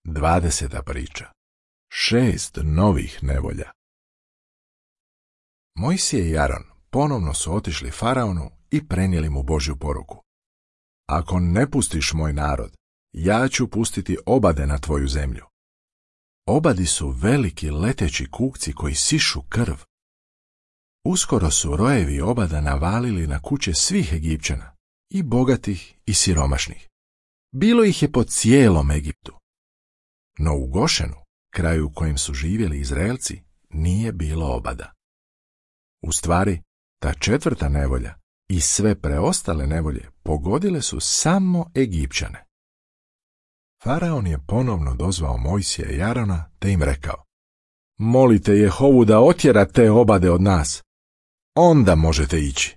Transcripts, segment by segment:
20. priča. 6 novih nevolja. Mojsije i Aron ponovno su otišli faraonu i prenijeli mu Božju poruku. Ako ne pustiš moj narod, ja ću pustiti obade na tvoju zemlju. Obadi su veliki leteći kukci koji sišu krv. Uskoro su rojevi obada navalili na kuće svih Egipćana, i bogatih i siromašnih. Bilo ih je po cijelom Egiptu. No u Gošenu, kraju u kojem su živjeli Izraelci, nije bilo obada. U stvari, ta 4. nevolja i sve preostale nevolje pogodile su samo Egipćane. Faraon je ponovno dozvao Mojsija i Arona te im rekao: molite Jehovu da otjera te obade od nas, onda možete ići.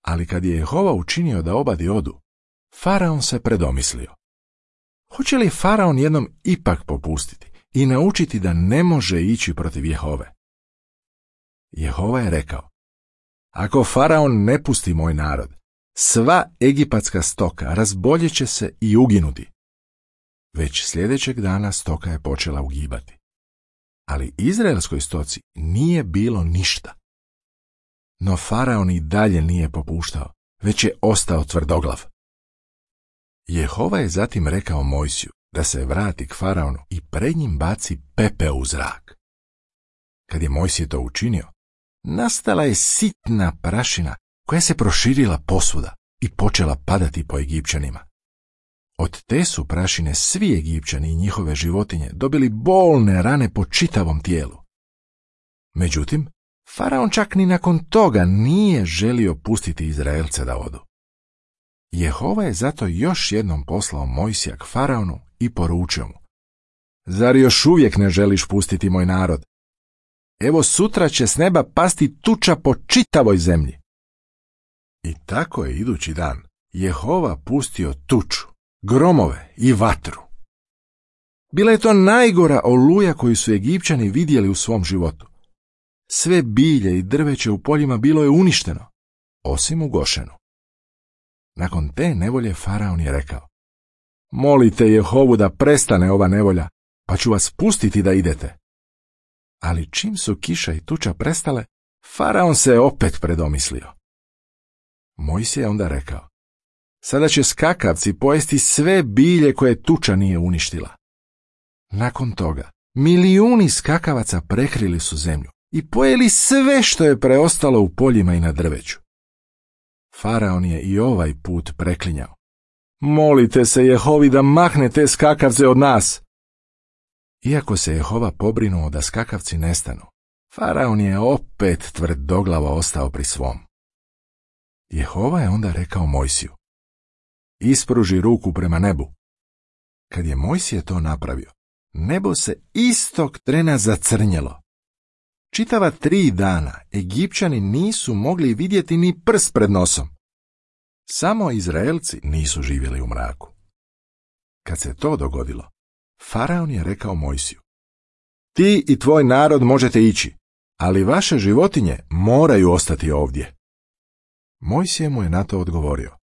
Ali kad je Jehova učinio da obadi odu, Faraon se predomislio. Hoće li Faraon jednom ipak popustiti i naučiti da ne može ići protiv Jehove? Jehova je rekao: ako Faraon ne pusti moj narod, sva egipatska stoka razboljet će se i uginuti. Već sljedećeg dana stoka je počela ugibati. Ali izraelskoj stoci nije bilo ništa. No Faraon i dalje nije popuštao, već je ostao tvrdoglav. Jehova je zatim rekao Mojsiju da se vrati k Faraonu i pred njim baci pepeo u zrak. Kad je Mojsije to učinio, nastala je sitna prašina koja se proširila posvuda i počela padati po Egipćanima. Od te su prašine svi Egipćani i njihove životinje dobili bolne rane po čitavom tijelu. Međutim, Faraon čak ni nakon toga nije želio pustiti Izraelce da odu. Jehova je zato još jednom poslao Mojsija k Faraonu i poručio mu: zar još uvijek ne želiš pustiti moj narod? Evo sutra će s neba pasti tuča po čitavoj zemlji. I tako je idući dan Jehova pustio tuču, gromove i vatru. Bila je to najgora oluja koju su Egipćani vidjeli u svom životu. Sve bilje i drveće u poljima bilo je uništeno, osim u Gošenu. Nakon te nevolje Faraon je rekao: molite Jehovu da prestane ova nevolja, pa ću vas pustiti da idete. Ali čim su kiša i tuča prestale, Faraon se opet predomislio. Mojsije je onda rekao: sada će skakavci pojesti sve bilje koje tuča nije uništila. Nakon toga, milijuni skakavaca prekrili su zemlju i pojeli sve što je preostalo u poljima i na drveću. Faraon je i ovaj put preklinjao: molite se Jehovi da mahne te skakavce od nas. Iako se Jehova pobrinuo da skakavci nestanu, Faraon je opet tvrdoglavo ostao pri svom. Jehova je onda rekao Mojsiju: ispruži ruku prema nebu. Kad je Mojsije to napravio, nebo se istog trena zacrnjelo. Čitava 3 dana Egipćani nisu mogli vidjeti ni prst pred nosom. Samo Izraelci nisu živjeli u mraku. Kad se to dogodilo, Faraon je rekao Mojsiju: ti i tvoj narod možete ići, ali vaše životinje moraju ostati ovdje. Mojsije mu je na to odgovorio: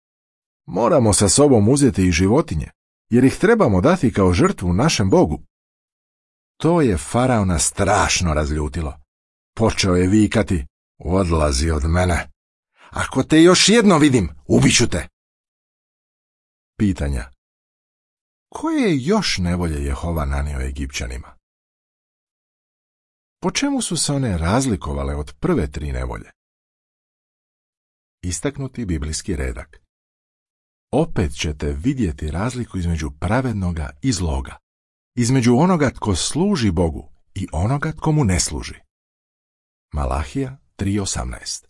moramo sa sobom uzeti i životinje, jer ih trebamo dati kao žrtvu našem Bogu. To je Faraona strašno razljutilo. Počeo je vikati: odlazi od mene. Ako te još jedno vidim, ubiću te. Pitanja: koje je još nevolje Jehova nanio Egipćanima? Po čemu su se one razlikovale od prve 3 nevolje? Istaknuti biblijski redak. Opet ćete vidjeti razliku između pravednoga i zloga, između onoga tko služi Bogu i onoga tko mu ne služi. Malahija 3:18.